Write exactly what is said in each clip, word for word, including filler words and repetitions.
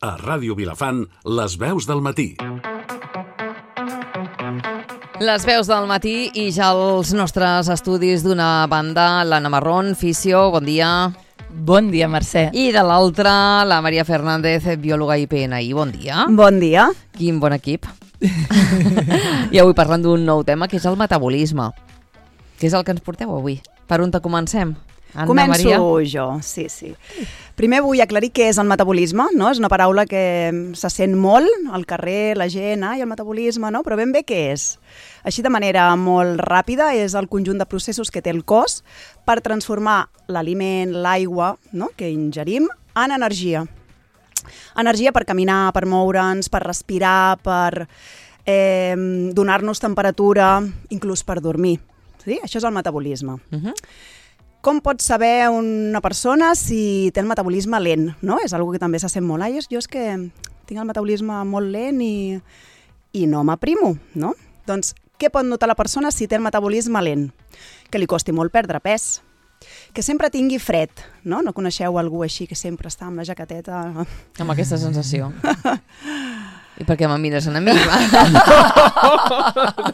A Ràdio Vilafant, les veus del matí. Les veus del matí i ja els nostres estudis d'una banda, l'Anna Marrón, fisio, bon dia. Bon dia, Mercè. I de l'altra, la Maria Fernández, biòloga i P N I, bon dia. Bon dia. Quin bon equip. I avui parlant d'un nou tema, que és el metabolisme. Què és el que ens porteu avui? Per on te comencem? Anna, Començo Maria? jo, sí, sí. Primer vull aclarir què és el metabolisme, no? És una paraula que se sent molt al carrer, la gent, ai, el metabolisme, no? Però ben bé què és? Així de manera molt ràpida, és el conjunt de processos que té el cos per transformar l'aliment, l'aigua, no?, que ingerim, en energia. Energia per caminar, per moure'ns, per respirar, per eh, donar-nos temperatura, inclús per dormir. Sí? Això és el metabolisme. Uh-huh. Com pot saber una persona si té el metabolisme lent, no? És una que també se sent molt. Ai, jo és que tinc el metabolisme molt lent i, i no m'aprimo, no? Doncs què pot notar la persona si té el metabolisme lent? Que li costi molt perdre pes, que sempre tingui fred, no? No coneixeu algú així que sempre està amb la jaqueteta? Amb aquesta sensació. I per què me mires a mi?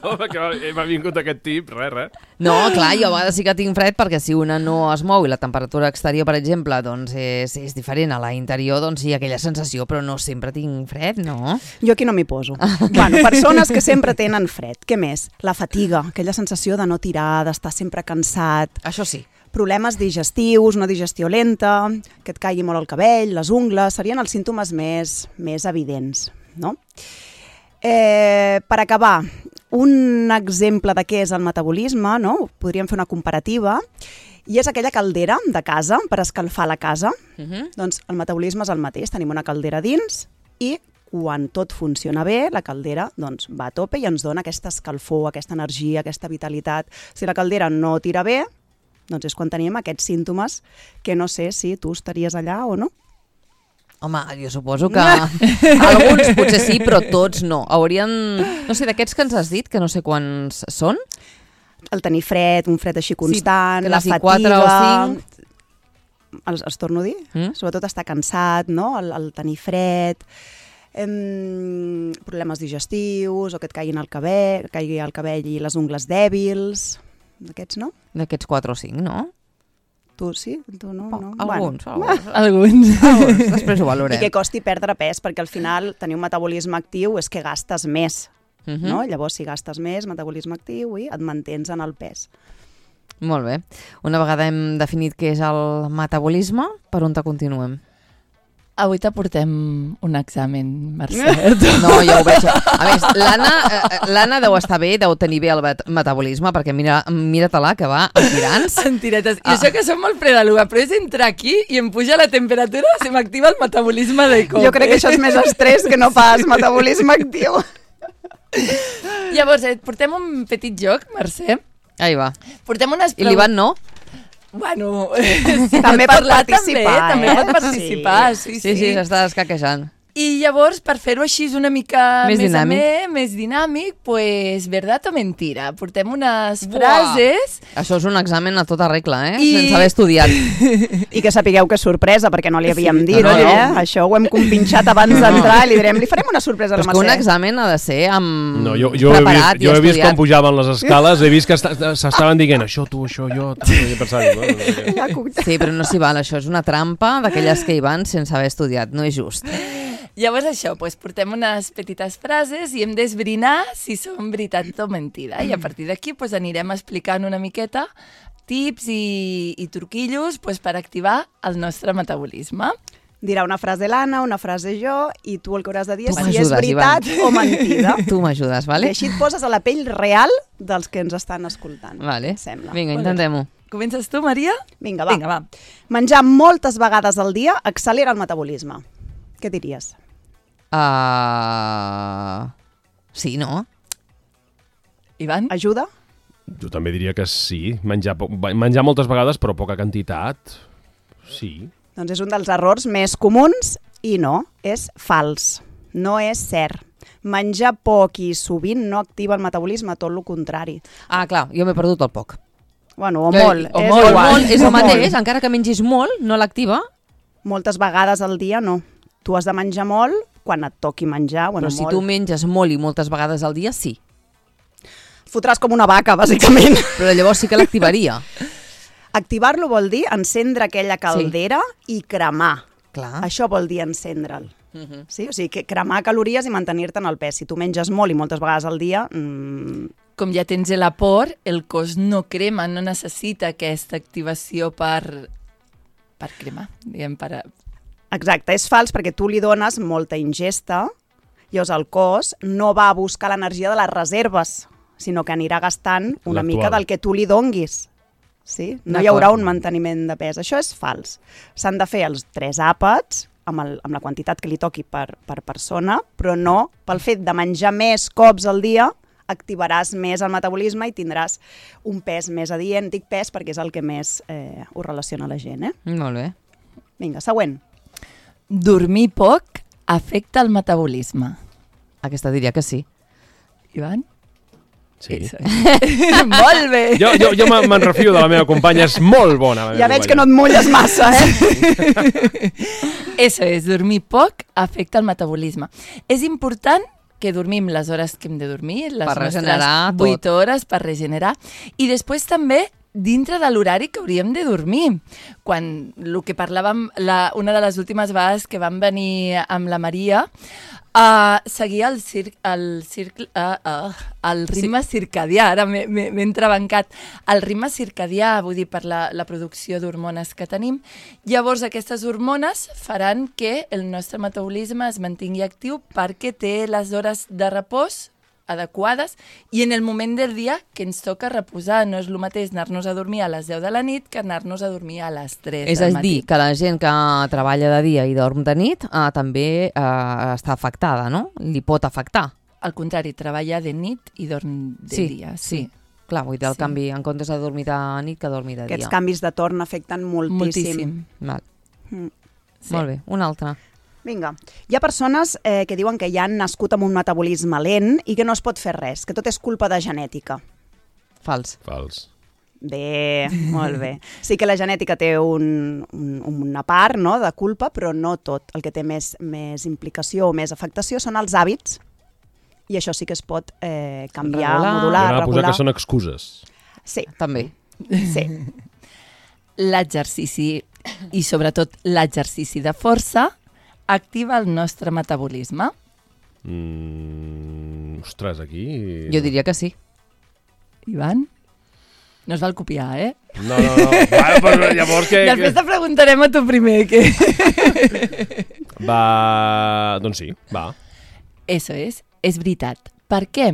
No, perquè m'ha vingut aquest tip, res, res. No, clar, jo a vegades sí que tinc fred perquè si una no es mou i la temperatura exterior, per exemple, doncs és, és diferent a la interior, doncs sí, aquella sensació, però no sempre tinc fred, no? Jo aquí no m'hi poso. Bueno, persones que sempre tenen fred. Què més? La fatiga, aquella sensació de no tirar, d'estar sempre cansat. Això sí. Problemes digestius, una digestió lenta, que et caigui molt el cabell, les ungles, serien els símptomes més, més evidents, no? Eh, per acabar, un exemple de què és el metabolisme, no? Podríem fer una comparativa, i és aquella caldera de casa per escalfar la casa. Uh-huh. Doncs el metabolisme és el mateix, tenim una caldera dins i quan tot funciona bé, la caldera doncs, va a tope i ens dona aquesta escalfor, aquesta energia, aquesta vitalitat. Si la caldera no tira bé, doncs és quan tenim aquests símptomes que no sé si tu estaries allà o no. Home, jo suposo que alguns potser sí, però tots no. Haurien, no sé, d'aquests que ens has dit, que no sé quants són? El tenir fred, un fred així constant, sí, la fatiga... quatre o cinc. Els, els torno a dir? Mm? Sobretot estar cansat, no? El, el tenir fred, em, problemes digestius, o que et caiguin el cabell, caigui el cabell i les ungles dèbils, d'aquests, no? D'aquests quatre o cinc, no? Tu sí? Tu no? no? Alguns, bueno. alguns. Alguns. alguns. Després ho valorem. I que costi perdre pes, perquè al final tenir un metabolisme actiu és que gastes més. Uh-huh. No? Llavors, si gastes més, metabolisme actiu, i et mantens en el pes. Molt bé. Una vegada hem definit què és el metabolisme, per on te continuem? Avui t'aportem un examen, Mercè. No, ja ho veig. A més, l'Anna eh, l'Anna deu estar bé, deu tenir bé el met- metabolisme, perquè mira, mira-te-la, que va a tirants. En tiretes. I Ah. això que som molt fredaluga, però és entrar aquí i em puja la temperatura, se m'activa el metabolisme de cop. Jo crec que això és més estrès que no pas metabolisme actiu. Llavors, et portem un petit joc, Mercè. Ahí va. Portem unes I l'Ivan no? Bueno, si També pot parlar, participar, també, també eh? pot participar, sí, Sí, sí, s'està escaquejant. I llavors, per fer-ho així una mica Més més, dinàmic. amè, més dinàmic, pues, verdad o mentira? Portem unes Buah. frases... Això és un examen a tota regla, eh? I- Sense haver estudiat. I que sapigueu que és sorpresa, perquè no li havíem Sí, dit, no, no. eh? Això ho hem compinxat abans d'entrar i li direm, li farem una sorpresa a Però la és que un Mercè. examen ha de ser amb No, jo, jo, he preparat vist, jo i he vist estudiat. com pujaven les escales, he vist que esta- s'estaven dient això, tu, això, jo, tal, i he pensat, bueno, Ja, cuc- Sí, però no s'hi val, això és una trampa d'aquelles que hi van sense haver estudiat, no és just. Llavors això, pues, portem unes petites frases i hem d'esbrinar si són veritat o mentida. I a partir d'aquí pues, anirem explicant una miqueta tips i, i truquillos pues, per activar el nostre metabolisme. Dirà una frase l'Anna, una frase jo, i tu el que hauràs de dir Tu és si és m'ajudes, veritat Ivan. o mentida. Tu m'ajudes, I vale? així et poses a la pell real dels que ens estan escoltant. Vale. em Sembla. Vinga, intentem-ho. Comences tu, Maria? Vinga, va. Vinga, va. Menjar moltes vegades al dia accelera el metabolisme. Què diries? Uh... Sí, no? Ivan? Ajuda? jo també diria que sí, menjar, po- menjar moltes vegades però poca quantitat, sí. Doncs és un dels errors més comuns i no, és fals. No és cert. Menjar poc i sovint no activa el metabolisme, tot el contrari. Ah, clar, jo m'he perdut el poc. Bueno, o Que- molt. o és molt, igual. Molt, és O el mateix, molt. encara que mengis molt, no l'activa. Moltes vegades al dia no. Tu has de menjar molt quan et toqui menjar. Bueno, Però si molt. tu menges molt i moltes vegades al dia, sí. Fotràs com una vaca, bàsicament. Però llavors sí que l'activaria. Activar-lo vol dir encendre aquella caldera sí. i cremar. Clar. Això vol dir encendre'l. Uh -huh. Sí? O sigui, que cremar calories i mantenir-te en el pes. Si tu menges molt i moltes vegades al dia... Mmm... Com ja tens l'aport, el cos no crema, no necessita aquesta activació per, per cremar, diguem, per... Exacte, és fals perquè tu li dones molta ingesta, llavors el cos no va a buscar l'energia de les reserves, sinó que anirà gastant una mica del que tu li donguis. Sí? No hi haurà un manteniment de pes. Això és fals. S'han de fer els tres àpats amb, el, amb la quantitat que li toqui per, per persona, però no pel fet de menjar més cops al dia activaràs més el metabolisme i tindràs un pes més adient. Dic pes perquè és el que més eh, ho relaciona la gent. Eh? Molt bé. Vinga, següent. Dormir poc afecta el metabolisme. Aquesta diria que sí. Ivan? Sí. Molt bé! Jo, jo, jo me'n refio de la meva companya, és molt bona. Ja veig companya. que no et mulles massa, eh? Eso és, dormir poc afecta el metabolisme. És important que dormim les hores que hem de dormir, les Per regenerar nostres vuit hores per regenerar, i després també dintre de l'horari que hauríem de dormir. Quan el que parlàvem, la, una de les últimes vegades que vam venir amb la Maria, Uh, seguia el, cir el, circle, uh, uh, el ritme sí. circadià, ara m'he entrebancat, el ritme circadià, vull dir, per la, la producció d'hormones que tenim. Llavors, aquestes hormones faran que el nostre metabolisme es mantingui actiu perquè té les hores de repòs adequades i en el moment del dia que ens toca reposar. No és el mateix anar-nos a dormir a les deu de la nit que anar-nos a dormir a les tres És del a dir, matí. que la gent que treballa de dia i dorm de nit eh, també eh, està afectada, no? Li pot afectar. Al contrari, treballa de nit i dorm de Sí, dia. sí. Sí. Clar, vull dir, el Sí. canvi, en comptes de dormir de nit, que dormir de Aquests dia. canvis de torn afecten moltíssim. Moltíssim. Val. Mm. Sí. Molt bé, una altra. Vinga, hi ha persones eh, que diuen que ja han nascut amb un metabolisme lent i que no es pot fer res, que tot és culpa de genètica. Fals. Fals. Bé, molt bé. Sí que la genètica té un, un, una part, no?, de culpa, però no tot. El que té més, més implicació o més afectació són els hàbits i això sí que es pot eh, canviar, Regular. modular, M'agrada posar regular. que són excuses. Sí, També. sí. L'exercici, i sobretot l'exercici de força, activa el nostre metabolisme. Mm, ostres, aquí... Jo diria que sí. Ivan? No es val copiar, eh? No, no, no. Va, però llavors que... Després te preguntarem a tu primer. Que... Va... Doncs sí, va. Eso és, és veritat. Per què?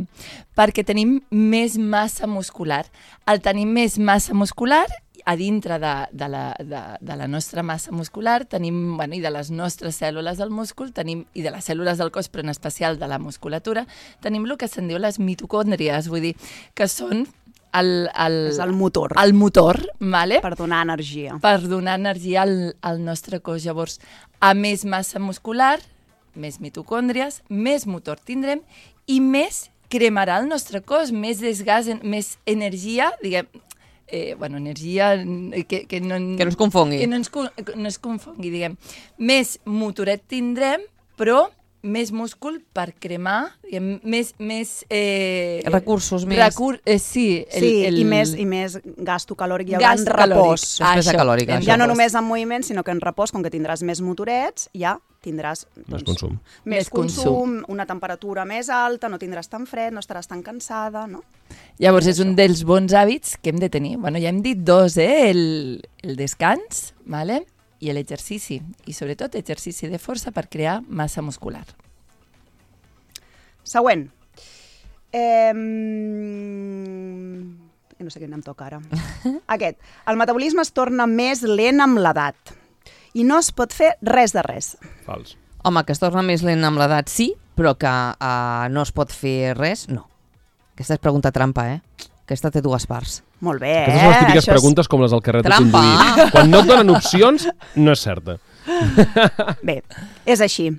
Perquè tenim més massa muscular. Al tenir més massa muscular, a dintre de, de, la, de, de la nostra massa muscular, tenim, bueno, i de les nostres cèl·lules del múscul, tenim, i de les cèl·lules del cos, però en especial de la musculatura, tenim el que se'n diu les mitocòndries, vull dir, que són el, el, És el motor. el motor, vale? Per donar energia. per donar energia al, al nostre cos. Llavors, a més massa muscular, més mitocòndries, més motor tindrem i més cremarà el nostre cos, més desgast, més energia, diguem, eh, bueno, energia que, que, no, Que no es confongui. que no, ens, no es confongui, diguem. Més motoret tindrem, però més múscul per cremar, diguem, més... més eh, Recursos més... Recur eh, sí, el, Sí, el, i, més, i més gasto calòric, hi haurà Gasto repòs. calòric. Despesa Això, calòrica, en això. Ja no repòs. només en moviment, sinó que en repòs, com que tindràs més motorets, ja tindràs Més doncs, consum. més Més consum. consum, una temperatura més alta, no tindràs tan fred, no estaràs tan cansada, no? Llavors és un dels bons hàbits que hem de tenir. Bueno, ja hem dit dos, eh? El, el descans, vale? I l'exercici. I sobretot exercici de força per crear massa muscular. Següent. Eh, no sé quin em toca ara. Aquest. El metabolisme es torna més lent amb l'edat i no es pot fer res de res. Fals. Home, que es torna més lent amb l'edat, sí, però que uh, no es pot fer res, no. Aquesta és pregunta trampa, eh? Aquesta té dues parts. Molt bé, Aquestes són les eh? típiques Això és- preguntes com les del carret de Trampa! conduir. Quan no et donen opcions, no és certa. Bé, és així.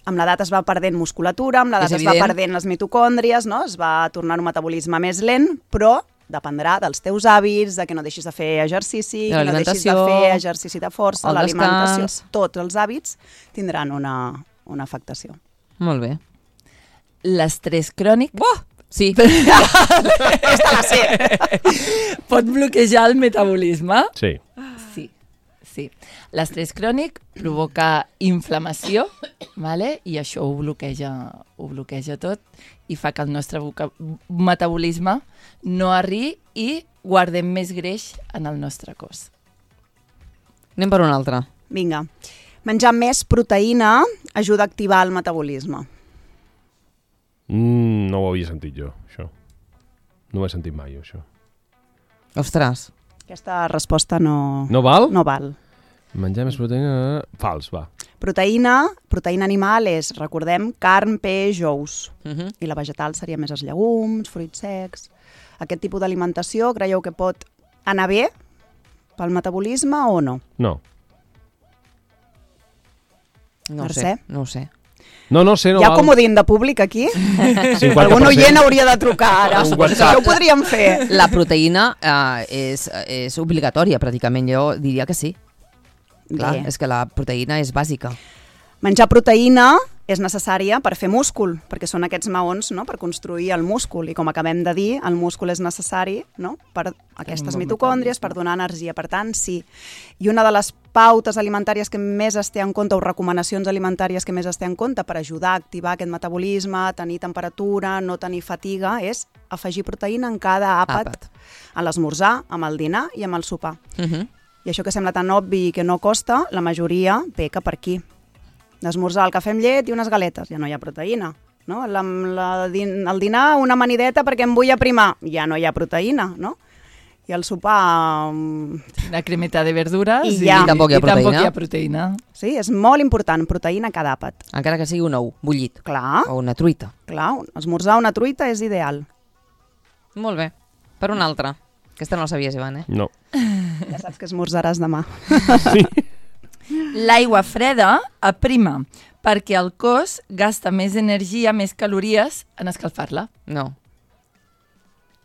Amb l'edat es va perdent musculatura, amb l'edat És es va evident. perdent les mitocòndries, no? Es va tornar un metabolisme més lent, però dependrà dels teus hàbits, de que no deixis de fer exercici, De que no deixis de l'alimentació, fer exercici de força, el l'alimentació, descans. tots els hàbits tindran una, una afectació. Molt bé. L'estrès crònic Oh! Sí. Aquesta la sé. pot bloquejar el metabolisme? Sí. Sí, sí. L'estrès crònic provoca inflamació, vale? I això ho bloqueja, ho bloqueja tot i fa que el nostre voca- metabolisme no arribi i guardem més greix en el nostre cos. Anem per una altra. Vinga. Menjar més proteïna ajuda a activar el metabolisme. Mm, no ho havia sentit jo, això. No ho he sentit mai, això. Ostres. Aquesta resposta no, No val? no val. Menjar més proteïna... Fals, va. Proteïna, proteïna animal és, recordem, carn, peix, ous. Uh -huh. I la vegetal seria més els llegums, fruits secs. Aquest tipus d'alimentació creieu que pot anar bé pel metabolisme o no? No. No ho Mercè? sé, no ho sé. No, no sé, no Hi ha val. comodín de públic aquí? cinquanta Algun per cent. oient hauria de trucar ara. Un WhatsApp. Això ho podríem fer. La proteïna eh, és, és obligatòria, pràcticament. Jo diria que sí. Clar, Bé. és que la proteïna és bàsica. Menjar proteïna és necessària per fer múscul, perquè són aquests maons, no?, per construir el múscul. I com acabem de dir, el múscul és necessari, no?, per aquestes bon mitocòndries, per donar energia. Per tant, sí. I una de les pautes alimentàries que més es té en compte, o recomanacions alimentàries que més es té en compte per ajudar a activar aquest metabolisme, tenir temperatura, no tenir fatiga, és afegir proteïna en cada àpat, Àpat. a l'esmorzar, amb el dinar i amb el sopar. Uh -huh. I això que sembla tan obvi que no costa, la majoria peca per aquí. D'esmorzar el cafè amb llet i unes galetes, ja no hi ha proteïna. No? La, la, din, el dinar, una amanideta perquè em vull aprimar, ja no hi ha proteïna. No? I el sopar... um, Una cremeta de verdures I ja. I tampoc hi ha i tampoc proteïna. hi ha proteïna. Sí, és molt important, proteïna a cada àpat. Encara que sigui un ou bullit Clar, o una truita. clar, esmorzar una truita és ideal. Molt bé. Per una altra. Aquesta no la sabies, Ivan, eh? No. Ja saps que esmorzaràs demà. Sí. L'aigua freda aprima perquè el cos gasta més energia, més calories en escalfar-la. No.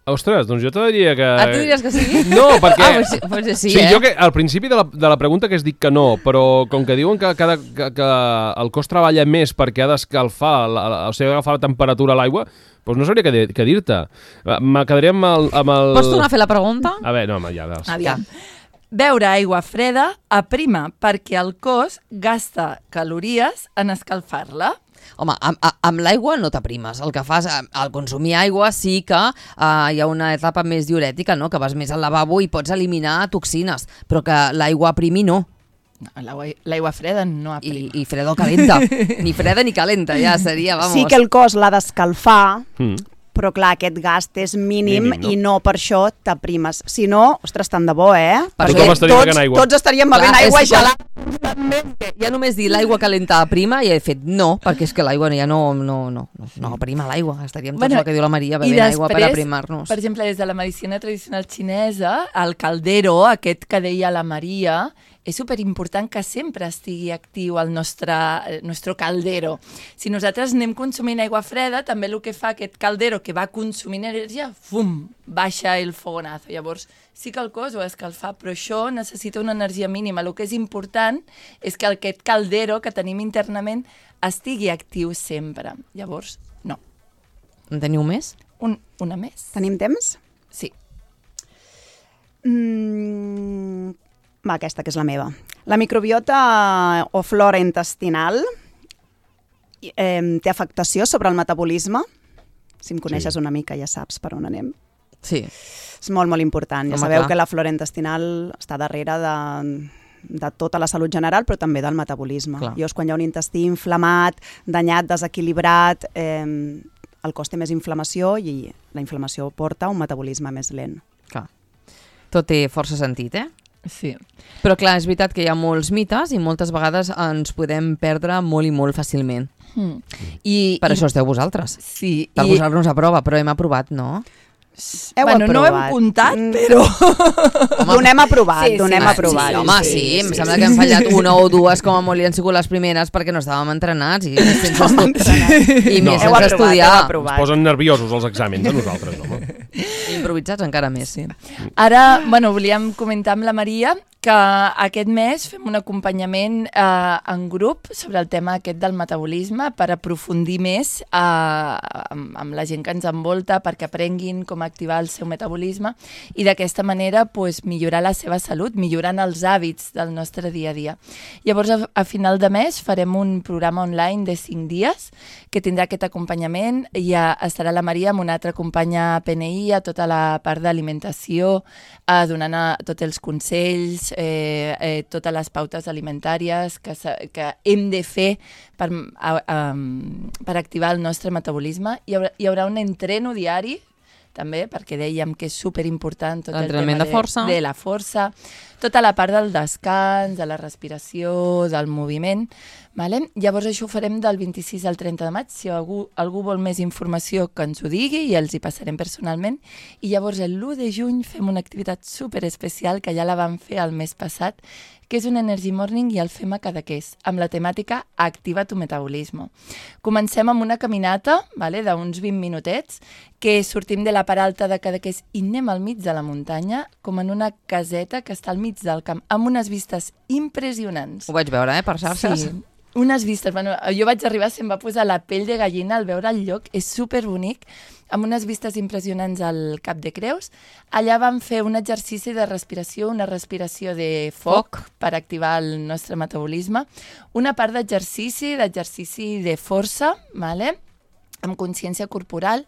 Ostres, doncs jo te diria que... Ah, tu diries que sí? No, perquè... Ah, pues sí, pues sí, sí, eh? jo que al principi de la, de la pregunta que has dit que no, però com que diuen que, cada, que, que el cos treballa més perquè ha d'escalfar, la, la, o sigui, agafar la temperatura a l'aigua, doncs no sabria què, dir- què dir-te. Me quedaria amb el, amb el... Pots tornar a fer la pregunta? A veure, no, home, ja... ja. Aviam. Beure aigua freda aprima perquè el cos gasta calories en escalfar-la. Home, amb, a- amb l'aigua no t'aprimes. El que fas, eh, al consumir aigua sí que uh, hi ha una etapa més diurètica, no? Que vas més al lavabo i pots eliminar toxines, però que l'aigua aprimi no. No, l'aigua l'aigua freda no I, aprima. I freda o calenta. Ni freda ni calenta, ja seria, vamos. Sí que el cos l'ha d'escalfar, Mm. però clar, aquest gast és mínim, Mínim, no? i no per això t'aprimes. Si no, ostres, tant de bo, eh? Perquè Tothom estaria tots, bevent aigua. tots estaríem bevent Clar, aigua és que gelada. Ja només dir l'aigua calenta aprima i he fet no, perquè és que l'aigua ja no, no, no, no, no aprima l'aigua. Estaríem tots Bueno, el que diu la Maria i bevent aigua per després, aprimar-nos. Per exemple, des de la medicina tradicional xinesa, el caldero, aquest que deia la Maria, és superimportant que sempre estigui actiu el nostre, el nostre caldero. Si nosaltres anem consumint aigua freda, també el que fa aquest caldero que va consumint energia, fum, baixa el fogonazo. Llavors, sí que el cos ho ha d'escalfar, però això necessita una energia mínima. El que és important és que aquest caldero que tenim internament estigui actiu sempre. Llavors, no. En teniu més? Un, una més? Tenim temps? Sí. Mm, va, aquesta que és la meva. La microbiota o flora intestinal eh, té afectació sobre el metabolisme. Si em coneixes Sí. una mica ja saps per on anem. Sí. És molt, molt important. Ja Home, sabeu clar. que la flora intestinal està darrere de, de tota la salut general, però també del metabolisme. Clar. Llavors, quan hi ha un intestí inflamat, danyat, desequilibrat, eh, el cos té més inflamació i la inflamació porta a un metabolisme més lent. Clar. Tot té força sentit, eh? Sí. Però clar, és veritat que hi ha molts mites i moltes vegades ens podem perdre molt i molt fàcilment. Mm. I, Per i, això esteu vosaltres. Sí. Per i, posar-nos a prova, però hem aprovat, no? Heu bueno, no ho hem aprovat. comptat, Mm. però... Donem aprovat, Sí, sí, donem sí, aprovat. Sí, home, sí, sí, em sembla que hem fallat una o dues com a molt i han sigut les primeres perquè no estàvem entrenats i més sense, estu... I No. més Heu sense aprovat, estudiar. heu Ens aprovat. posen nerviosos els exàmens a nosaltres, home. I improvisats encara més. Sí. Ara, bueno, volíem comentar amb la Maria que aquest mes fem un acompanyament eh, en grup sobre el tema aquest del metabolisme per aprofundir més eh, amb, amb la gent que ens envolta, perquè aprenguin com activar el seu metabolisme i d'aquesta manera pues, millorar la seva salut, millorant els hàbits del nostre dia a dia. Llavors, a, a final de mes farem un programa online de cinc dies que tindrà aquest acompanyament i ja estarà la Maria amb una altra companya P N I a tota la part d'alimentació, eh, donant a, tots els consells, Eh, eh, totes les pautes alimentàries que, que hem de fer per, a, a, per activar el nostre metabolisme. Hi haurà, hi haurà un entreno diari, també, perquè dèiem que és superimportant tot el tema de, força. de, de la força, tota la part del descans, de la respiració, del moviment. Vale? Llavors això ho farem del vint-i-sis al trenta de maig. Si algú, algú vol més informació que ens ho digui i els hi passarem personalment. I llavors l'u de juny fem una activitat super especial que ja la vam fer el mes passat, que és un Energy Morning i el fem a Cadaqués, amb la temàtica Activa tu metabolisme. Comencem amb una caminata, vale, d'uns vint minutets, que sortim de la part alta de Cadaqués i anem al mig de la muntanya, com en una caseta que està al mig del camp, amb unes vistes impressionants. Ho vaig veure, eh, per xarxes. Sí. Unes vistes, bueno, jo vaig arribar, se'm va posar la pell de gallina al veure el lloc, és superbonic, amb unes vistes impressionants al Cap de Creus. Allà vam fer un exercici de respiració, una respiració de foc, foc. per activar el nostre metabolisme, una part d'exercici, d'exercici de força, vale? Amb consciència corporal,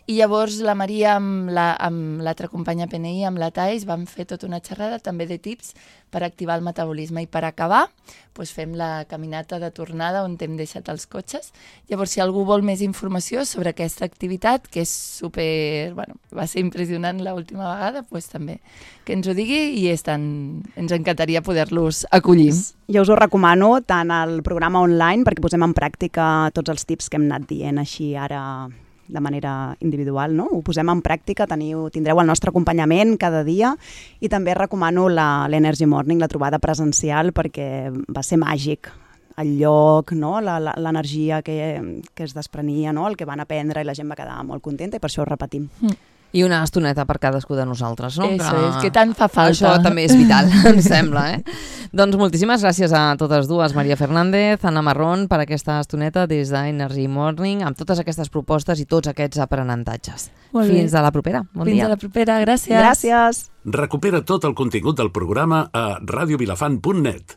i llavors la Maria amb l'altra la, companya P N I, amb la Thais, vam fer tota una xerrada també de tips per activar el metabolisme. I per acabar, doncs fem la caminata de tornada on hem deixat els cotxes. Llavors, si algú vol més informació sobre aquesta activitat, que és super... Bueno, va ser impressionant l'última vegada, doncs també que ens ho digui i és tan, ens encantaria poder-los acollir. Jo us ho recomano tant al programa online perquè posem en pràctica tots els tips que hem anat dient així ara de manera individual, no? Ho posem en pràctica, teniu, tindreu el nostre acompanyament cada dia i també recomano l'Energy Morning, la trobada presencial, perquè va ser màgic el lloc, no? L'energia que, que es desprenia, no? El que van aprendre i la gent va quedar molt contenta i per això ho repetim. Mm. I una estoneta per cadascú de nosaltres, no? Eso que, és, que tant fa falta. Això també és vital, em sembla, eh? Doncs moltíssimes gràcies a totes dues, Maria Fernández, Anna Marrón, per aquesta estoneta des d'Energy Morning, amb totes aquestes propostes i tots aquests aprenentatges. Fins a la propera. Bon Fins dia. a la propera, gràcies. Gràcies. Recupera tot el contingut del programa a radiovilafant punt net.